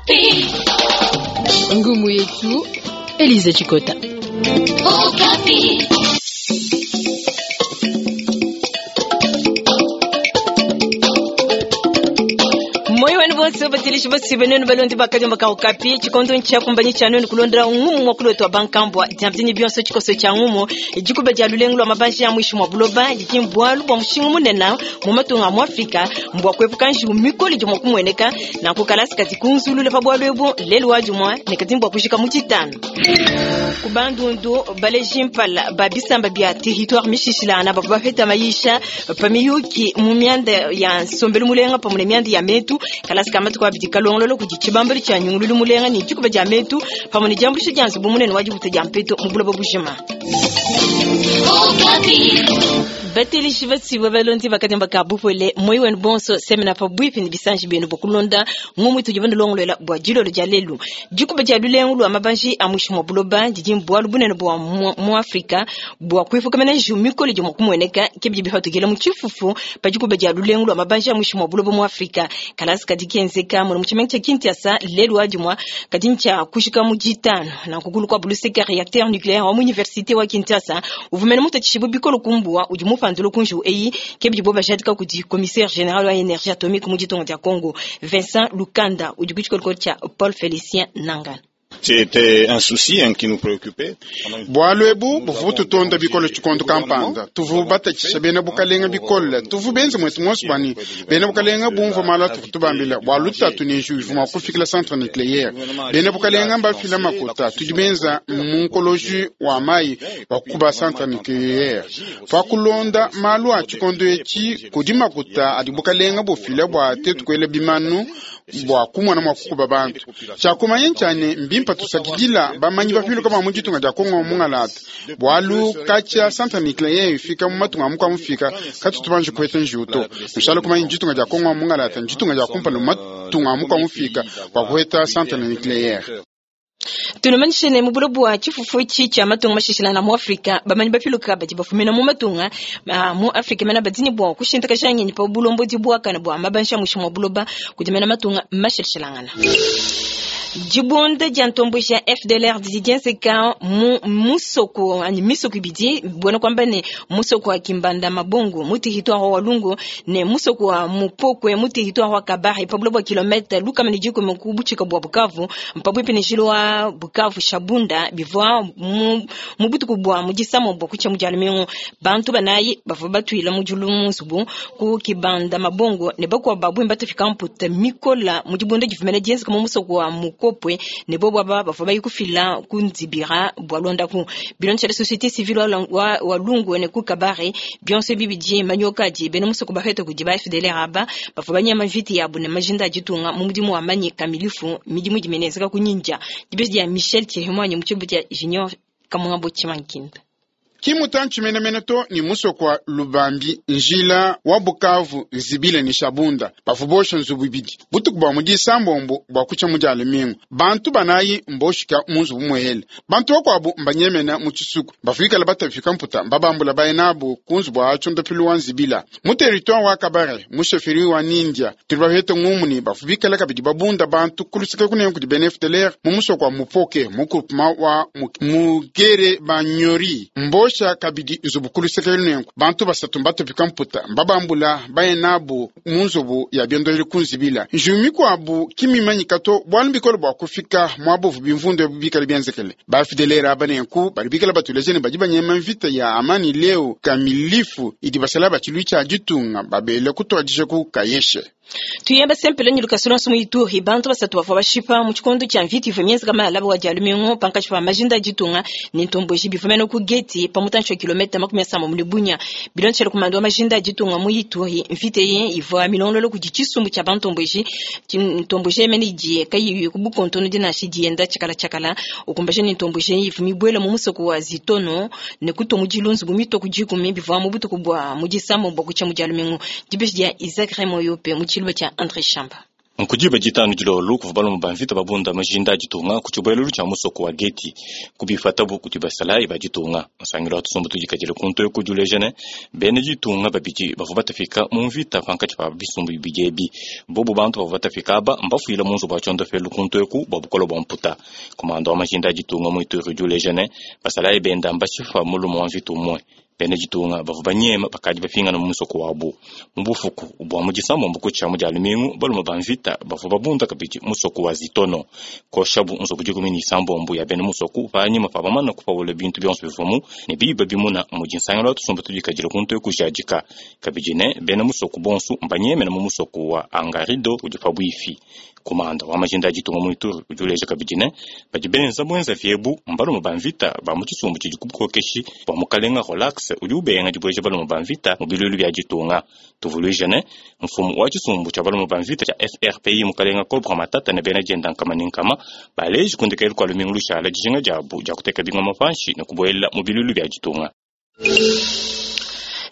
Okapi. Ngumu yetu Elise Chikota. Okapi. Moyo wenu bonse batilishi basi benenu balondi bakajomba ka Okapi chikondo ncha kumbanyi cha nenu kulondela ngumu mwa kulotwa bankambwa jamtini bionso chikoso cha ngumu jikuba ja lulengu lwa mabanji ya mwisho mwa buloba jikimbwalu bwa mushingu munena mu matunga mu Afrika mbwa kwepuka njiu mikoli jomwa kumweneka na kukalasi kati kunzulule pa bwalu ebu lelu wajumwa nekazimbwa kushika mu chitano kubandundu baleji mpala babisamba bya territoire mishishilana bavua bapeta mayisha pamiyuki mu myanda ya nsombelu mulenga pamwe ne myanda ya metu kalasi kamatu kwa bidi kalongololo kudi tshibambelu tshia nyungululu mulenga ne dikuba dia metu pamwe ne diambulisho dia nzubu munene wa dibuta dia mpeto mu buloba bujima. Okapi. Batelishi batsiba balondi bakademba ka bupole moyi wenu bonso semena pa bwipi ni bisanji benu bokulonda ngumu tudi bandolongolola bwa dilolo dia lelu dikuba dia lulengu lwa mabanji a mwisho mwa buloba didi mbwalu bunene bwa mu Afrika bwa kwifukamena njiu mikolo dia kumueneka ke bidi bifatukila mu tshifufu pa dikuba dia lulengu lwa mabanji a mwisho mwa buloba mu Afrika kalasi kadi kenzeka mu tshimenga tshia Kinshasa lelu wadimwa kadi ntshia kushika mu ditano na kukulu kwa buluseka réacteur nucléaire wa mu université wa Kinshasa uvumene mutatshishibu bikolo kumbuwa udi mupandulu kunju eyi ke bidi bo bajadika kudi commissaire général wa énergie atomique mu ditongo dia Congo Vincent Lukanda udi ku tshikolokolo tshia Paul Félicien Nangana. C'était un souci hein, qui nous préoccupait. Bwalu ebu buvu tutonda bikolo tshikondo kampanda tuvu batatshisha bena bukalenga bikole tuvu benze mwetu monso bani bena bukalenga bumva mala tuvu tubambila bwalu tatu ne nju ivuma kufikila centre nucléaire bena bukalenga mbafila makuta tudi benza munkoloji wa mai wa kukuba centre nucléaire pakulonda malu a tshikondo etshi kudi makuta adi bukalenga bufila bua tetu kuela bimanu bua kumona mua kukuba bantu tshiakumanya ntshane mbimpa tusakidila bamanyi bapiluka ba mu ditunga dia Kongo mungalata bwalu katshia centre nucléaire ifika mu matunga amu mufika katutu banji kuheta njiuto nshala kumanya ditunga dia Kongo mungalata nditunga dia kumpala mu matunga amu mufika bua kuheta centre nucléaire. Tunomanyishene mu buloba bwa tshifufu etshi tshia matunga mashishilana mu Afrika bamanyi bapiluka badi bafumina mu matunga mu Afrika mena badini bua kushintakaja ngenyi pa bulombodi buakana bua mabanji a mwisho mwa buloba kudi mena matunga mashilashilangana. Dibunda dia ntomboji ya FDLR didi dienzeka mu musoko anyi misoko ibidi buena kuamba ne musoko wa Kimbanda Mabongo mu territoire wa Walungu ne musoko wa Mupokwe mu territoire wa Kabare pa buloba bua kilomètre lukama ne dikumi ku butshika bua Bukavu mpabuipi ne njila wa Bukavu Shabunda bivua mu butuku bua mu disamo bua kutshia mu dia lumingu bantu banayi bavua batuila mu diulu mu nzubu ku Kibanda Mabongo ne bakuabu babui batufika mputa mikola mu dibunda divumene dienzeka mu musoko wa Mukopwe ne bobo aba bavua bayi kufila ku Nzibira bua londaku bilonda tshia société civile wa Walungu ne ku Kabare bionso bibidi manyoka adi bena musoko bapeta kudi ba FDLR aba bavua banyama mvita yabu ne majinda a ditunga mu mudimu wa manyi kamilifu midimu idi minenzeka ku nyinja dibesi dia Michel Tshihimwanyi mu tshibu tshia Junior Kamungambo Tshimankinda. Kimutantshi menemene to ni musoko wa Lubambi njila wa Bukavu Nzibile ni Shabunda bavua bosha nzubu ibidi butuku bua mu disambombo bua kutshia mu dia lumingu bantu banayi mboshika mu nzubu muhele bantu bakuabu mbanyemena mu tshisuku bavuikala batafika mputa mbabambula baye nabu ku nzubu wa tshiondopilu wa Nzibila mu territoire wa Kabare mu chefferie wa Nindia tuli bapete ngumu ni bavua bikala kabidi babunda bantu kulusika kunene kudi bena FDLR mu musoko wa Mupoke mu groupement wa Mugere Banyori mbosha kabidi nzubu kuluseka lunenku bantu basatu mbatupika mputa mbabambula baye nabu mu nzubu ya biondoleli kunzibila njiu mikuabu kimimanyika to bwalu bikolo bua kufika mwabuvu bimvundu ebu bikala bienzekele ba FDLR aba nenku bali bikala batuleje ne badi banyema mvita ya amani leo kamilifu idi basala batshilu tshia ditunga babele kutuadija ku kayeshe. Tuyemba sempele nyi lukasi lonso mu Ituri bantu basatu bavua bashipa mu tshikondo tshia mvita ivua mienzeka malaba wa dia lumingu pankatshi pa majinda a ditunga ne ntomboji bivua mene ku Geti pa mutantshi wa kilomètre makumi asambombo mu Bunia bilondeshele kumanda wa majinda a ditunga mu Ituri mvita eyi ivua milongolola kudi tshisumbu tshia bantomboji ntomboji mene idi kayiyi ku bukontono dinashi dienda tshakala tshakala ukumbaje ne ntomboji ivua mibuela mu musoko wa Zitono ne kutua mu dilu nzubu mitue ku dikumi bivua mu butuku bua mu disambombo bua kutshia mu dia lumingu dibeji dia Isaac Remoyope mu tshiluba tshia André Shamba. Nkudiba ditanu dilolo kuvua balume ba mvita babunda majinda a ditunga ku tshibuelelu tshia musoko wa Geti kubipatabu kudi basalayi ba ditunga. Nsangilu wa tusumbu tudikadile kuntu eku udi uleja ne, bena ditunga babidi bavua batapika mu mvita pankatshi pa bisumbu bibidi ebi. Bobu bantu bavua batapika aba mbafuile mu nzubu wa tshiondopelu kuntu eku bua bukole bua mputa. Komanda wa majinda a ditunga mu Ituri udi uleja ne, basalayi benda mbashipa mulume wa mvita umue. Bena ditunga bavua banyema bakadi bapingana mu musoko wabu. Mu bufuku bua mu disambombo kutshia mu dia lumingu, balume ba mvita bavua babunda kabidi musoko wa Zitono. Koshabu nzubu 16 ya bena musoko panyima pa bamana kupawula bintu bionso bivuamu ne biba bimuna mudi nsangilu wa tusumbu tudikadile kuntu eku kujadika. Kabidi ne bena musoko bonso mbanyemena mu musoko wa Angarido udi pabuipi. Komanda wa majinda a ditunga mu Ituri udi uleja kabidi ne, badi benza buenzavi ebu mbalume ba mvita ba mu tshisumbu tshidi ku bukokeshi bua mukalenga Rolax udi ubenga dibueja balume ba mvita mu biluilu bia ditunga. Tuvuluije ne, mfumu wa tshisumbu tshia balume ba mvita tshia FRPI mukalenga Cobra Matata ne bena dienda nkama ne nkama baleji ku ndekelu kua lumingu lushala dijinga diabu dia kuteka bingoma panshi ne kubuela mu biluilu bia ditunga.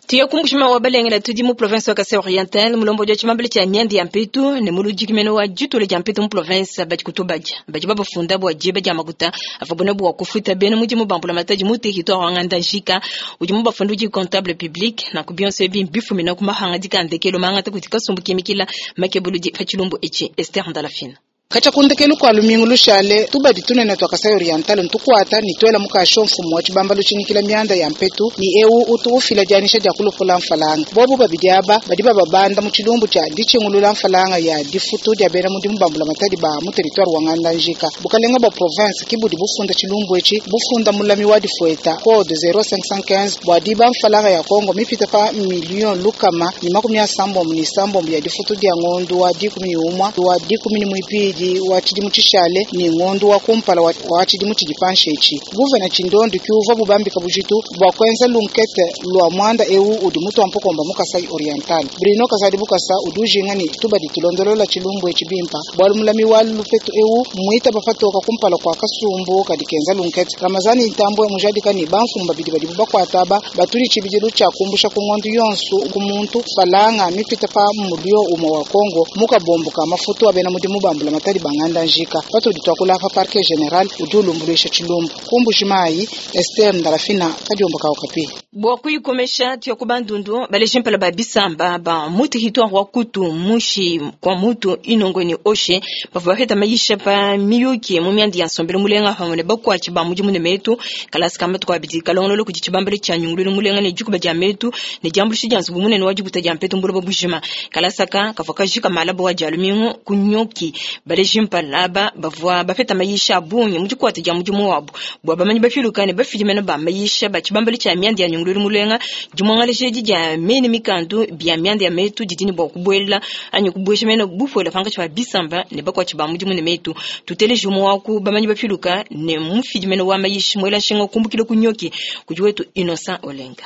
Tuye ku Mbuji-Mayi wa Balengela tudi mu province wa Kasai Oriental mulombodi wa tshibambalu tshia mianda ya mpetu ne muludiki mene wa ditula dia mpetu mu province badi kutubadia badi babafunda bua diba dia makuta avuabu ne bua kufuta bena mudimu ba mbulamatadi mu territoire wa Ngandajika udi mubafunda udi comptable public nanku bionso ebi mbifumina ku mahangadika a ndekelu mangata kudi kasumbu kimikila makebuludi pa tshilumbu etshi. Esther Ndalafina. Katshia ku ndekelu kua lumingu lushale, tubadi tunene tua Kasai Oriental ntukuata ne tuela mukasho mfumu wa tshibambalu tshinyikila mianda ya mpetu ne eu utu ufila dianyisha dia kulopula mfalanga. Bobu babidi aba badi bababanda mu tshilumbu tshia ditshingulula mfalanga ya difutu dia bena mudimu ba mbulamatadi ba mu territoire wa Ngandajika. Bukalenga bua province ki budi bufunda tshilumbu etshi bufunda mulami wa difueta code 0515 bua diba mfalanga ya Kongo mipita pa million lukama ne 36 ya difutu dia ngondu wa 11 wa 12 wa tshidimu tshishale ne ngondu wa kumpala wa tshidimu tshidi panshi etshi. Guvena Tshindondi kiuvua bubambika bujitu bua kuenza lunkete lua muanda eu udi mutua mpukomba mu Kasai Oriental. Bruno Kazadi Bukasa udi ujinga ne tubadi tulondolola tshilumbu etshi bimpa bualu mulami wa lupetu eu muita bapatoka kumpala kua kasumbu kadi kenza lunkete. Ramazani Ntambwe mujadika ne bamfumu babidi badibu bakuata aba batudi tshibidilu tshia kumbusha ku ngondu yonso ku muntu falanga mipita pa mulio umue wa Kongo mukabombo ka mafutu a bena mudimu ba mbulamatadi ba Ngandajika. Patudi tuakula pa parquet general udi ulumbuluisha tshilumbu. Ku Mbuji-Mayi, Esther Ndalafina kadiomba ka Okapi. Bua kuyikomesha tuya ku Bandundu baleji mpala ba bisamba ba mu territoire wa Kutu mushi kwa mutu Inongo ne Oshe bavua bapeta mayisha pa miyuki mu mianda ya nsombelu mulenga pamue ne bakuatshi ba mudimu ne metu kalasa ka matuku abidi kalongolola kudi tshibambalu tshia nyungululu mulenga ne dikuba dia metu ne diambuluisha dia nzubu munene wa dibuta dia mpetu mbuloba bujima kalasa ka kavua kajika malaba wa dia lumingu ku nyoki baleji mpala aba bavua bapeta mayisha a bungi mu dikuata dia mudimu wabu bua bamanyi bapiluka ne bafidi mene ba mayisha ba tshibambalu tshia mianda ya nyungululu mulenga dimuangalaja edi dia mene mikandu bia mianda ya metu didi ne bua kubuela anyi kubuesha mene bupuela pankatshi pa bisamba ne bakuatshi ba mudimu ne metu tuteleje umue wa ku bamanyi bapiluka ne mufidi mene wa mayishi muela nshinga kumbukila ku nyoki kudi wetu Innocent Olenga.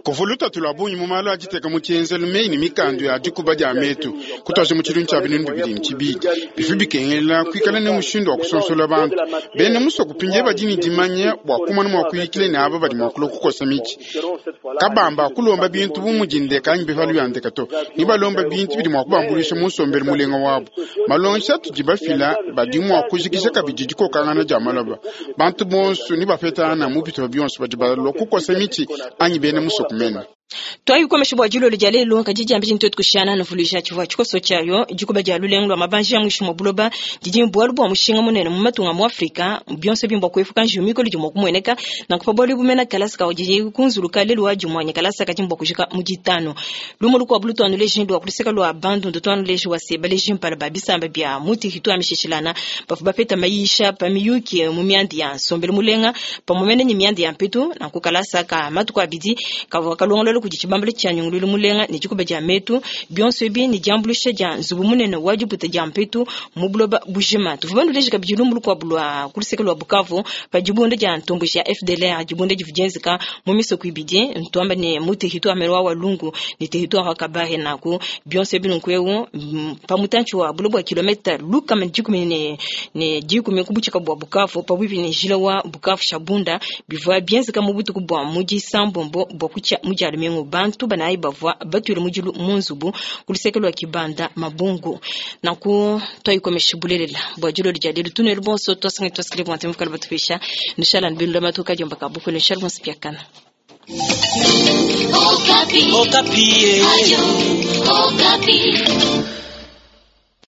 Kuvua lutatu lua bungi mu malu a diteka mu tshienzelu meyi ne mikandu ya dikuba dia metu kutuaja mu tshilumbu tshia binunu bibidi ne tshibidi bivua bikengela kuikala ne mushindu wa kusonsola bantu bena musoko pindie badi ne dimanya bua kumona mua kuyikila ne aba badi mua kulua kukosa mitshi kabamba kulomba bintu bu mudi ndeka anyi bipalu bia ndeka to ne balomba bintu bidi mua kubambuluisha mu nsombelu mulenga wabu. Malongesha atudi bafila badi mua kujikija kabidi dikokangana dia maloba. Bantu bonso ne bapetangana mu bitupa bionso badi balua kukosa mitshi anyi bena musoko mene. Twayikomesha bua dilolo dia lelu kadi diambi dintu tukushana nuvuluija tshivua tshikoso tshiayo dikuba dia lulengu lua mabanji ya mwishi mwa buloba didi bualu bua mushinga munene mu matunga mu Afrika bionso bimba kuepuka njiwu mikolo idi mua kumueneka nanku pa bualu bumena kalasa ka didi kunzuluka lelu wa dimwanya kalasa kadi mbua kujika mu ditanu lumu lukuabu lutuanu leji lua kuluseka lua bandundu tuanu leji wa seba leji mpala ba bisamba bia mu territoire mishishilana bavua bapeta mayisha pa miyuki mu mianda ya nsombelu mulenga pamue ne mianda ya mpetu nanku kalasa ka matuku abidi kavua kalongolola kudi tshibambalu tshia nyungululu mulenga ne dikuba dia metu bionso ebi ne diambuluisha dia nzubu munene wa dibuta dia mpetu mu buloba bujima. Tuvua banuleje kabidi lumbu lukuabu lua kuluseke lua Bukavu pa dibunda dia ntomboji ya FDLR dibunda divua dienzeka mu misoko ibidi ntuamba ne mu territoire wa Walungu ne territoire wa Kabare nanku bionso ebi nunku eu pa mutantshi wa buloba bua kilomita lukama dikumi ne dikumi ku butshika bua Bukavu pabuipi ne njila wa Bukavu Shabunda bivua bienzeka mu butuku bua mu disambombo bua kutshia mu dia lumingu. lumingu. Bantu banayi bavua batuile mudilu mu nzubu ku luseke lua Kibanda Mabungu. Nanku twayikomesha bulelela bua dilolo dia lelu tunelu bonso twasanga twasikile bua ntemu kala batupesha nishala nbelu matuka diomba kabukulu nishala bonso piakana. Okapi. Okapi. Radio Okapi.